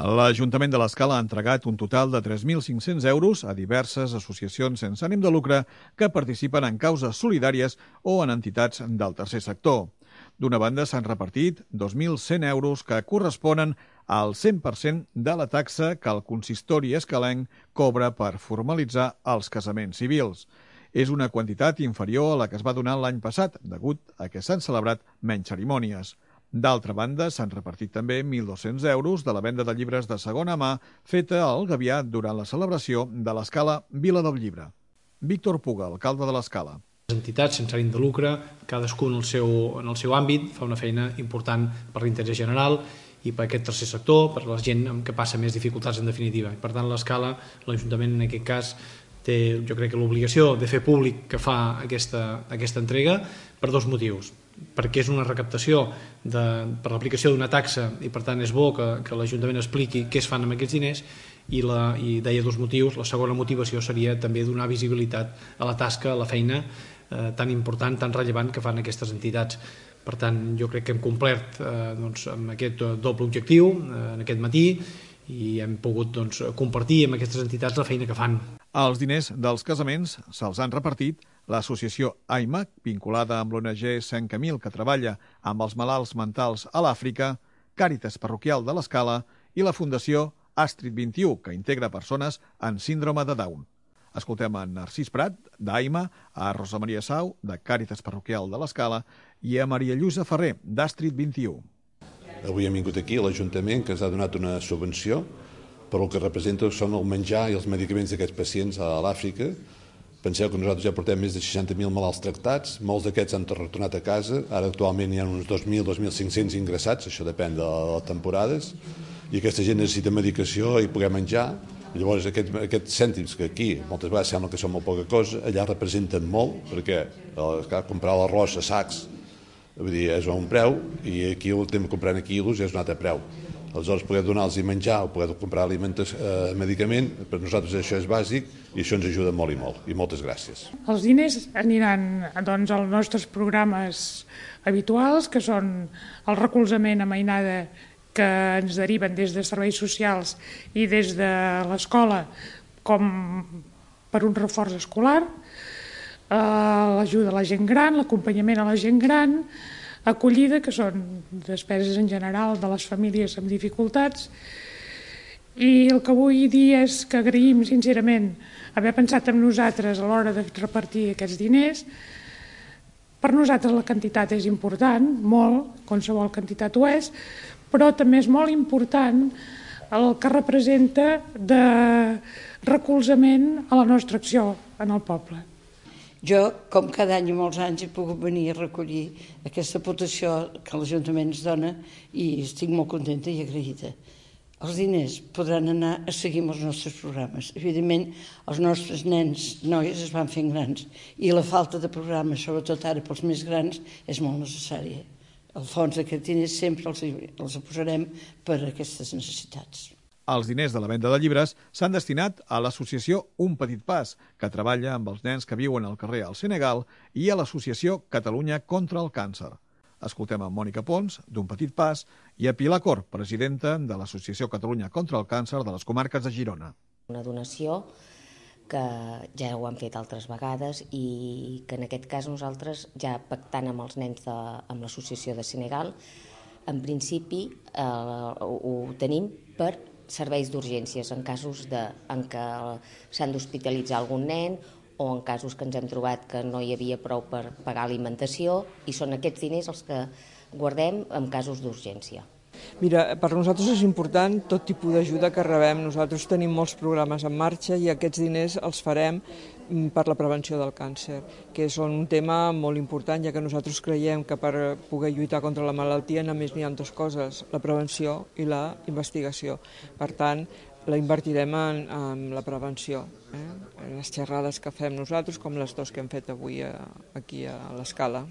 L'Ajuntament de l'Escala ha entregat un total de 3.500 euros a diverses associacions sense ànim de lucre que participen en causes solidàries o en entitats del tercer sector. D'una banda, s'han repartit 2.100 euros que corresponen al 100% de la taxa que el consistori escalenc cobra per formalitzar els casaments civils. És una quantitat inferior a la que es va donar l'any passat, degut a que s'han celebrat menys cerimònies. D'altra banda, s'han repartit també 1.200 euros de la venda de llibres de segona mà feta al Gavià durant la celebració de l'Escala Vila del Llibre. Víctor Puga, alcalde de l'Escala. Les entitats sense ànim de lucre, cadascú en el seu àmbit, fa una feina important per l'interès general i per aquest tercer sector, per la gent que passa més dificultats en definitiva. Per tant, l'Escala, l'Ajuntament en aquest cas, té, jo crec, l'obligació de fer públic que fa aquesta entrega per dos motius. Perquè és una recaptació per l'aplicació d'una taxa i per tant és bo que l'Ajuntament expliqui què es fan amb aquests diners i deia dos motius. La segona motivació seria també donar visibilitat a la tasca, a la feina tan important, tan rellevant que fan aquestes entitats. Per tant, jo crec que hem complert amb aquest doble objectiu en aquest matí i hem pogut compartir amb aquestes entitats la feina que fan. Els diners dels casaments se'ls han repartit l'associació AIMA, vinculada amb l'ONG Sant Camil, que treballa amb els malalts mentals a l'Àfrica, Càritas Parroquial de l'Escala i la Fundació Astrid 21, que integra persones amb síndrome de Down. Escoltem a Narcís Prat, d'AIMA, a Rosa Maria Sau, de Càritas Parroquial de l'Escala, i a Maria Lluïsa Ferrer, d'Astrid 21. Avui hem vingut aquí a l'Ajuntament, que ens ha donat una subvenció per el que representa són el menjar i els medicaments d'aquests pacients a l'Àfrica. Penseu que nosaltres ja portem més de 60.000 malalts tractats, molts d'aquests han retornat a casa, ara actualment hi ha uns 2.000-2.500 ingressats, això depèn de les temporades, i aquesta gent necessita medicació i poder menjar. Llavors aquests cèntims que aquí moltes vegades sembla que són molt poca cosa, allà representen molt, perquè comprar l'arròs a sacs és un preu i aquí el temps comprant a quilos és un altre preu. Aleshores, poder donar-los menjar o poder comprar medicament, per nosaltres això és bàsic i això ens ajuda molt i molt. I moltes gràcies. Els diners aniran als nostres programes habituals, que són el recolzament a mainada que ens deriven des de serveis socials i des de l'escola com per un reforç escolar, l'ajuda a la gent gran, l'acompanyament a la gent gran, acollida, que són despeses en general de les famílies amb dificultats. I el que vull dir és que agraïm sincerament haver pensat en nosaltres a l'hora de repartir aquests diners. Per nosaltres la quantitat és important, molt, qualsevol quantitat ho és, però també és molt important el que representa de recolzament a la nostra acció en el poble. Jo, com cada any i molts anys, he pogut venir a recollir aquesta aportació que l'Ajuntament ens dona i estic molt contenta i agraïda. Els diners podran anar a seguir amb els nostres programes. Evidentment, els nostres nens, noies, es van fent grans i la falta de programes, sobretot ara pels més grans, és molt necessària. El fons d'aquests diners sempre els posarem per a aquestes necessitats. Els diners de la venda de llibres s'han destinat a l'associació Un Petit Pas, que treballa amb els nens que viuen al carrer al Senegal, i a l'associació Catalunya contra el Càncer. Escoltem a Mònica Pons, d'Un Petit Pas, i a Pilar Cor, presidenta de l'associació Catalunya contra el Càncer de les comarques de Girona. Una donació que ja ho han fet altres vegades i que en aquest cas nosaltres, ja pactant amb els nens amb l'associació de Senegal, en principi ho tenim per serveis d'urgències en casos en què s'han d'hospitalitzar algun nen o en casos que ens hem trobat que no hi havia prou per pagar alimentació, i són aquests diners els que guardem en casos d'urgència. Mira, per nosaltres és important tot tipus d'ajuda que rebem. Nosaltres tenim molts programes en marxa i aquests diners els farem per la prevenció del càncer, que és un tema molt important, ja que nosaltres creiem que per poder lluitar contra la malaltia només n'hi ha dues coses, la prevenció i la investigació. Per tant, la invertirem en la prevenció. Les xerrades que fem nosaltres, com les dues que hem fet avui aquí a l'Escala.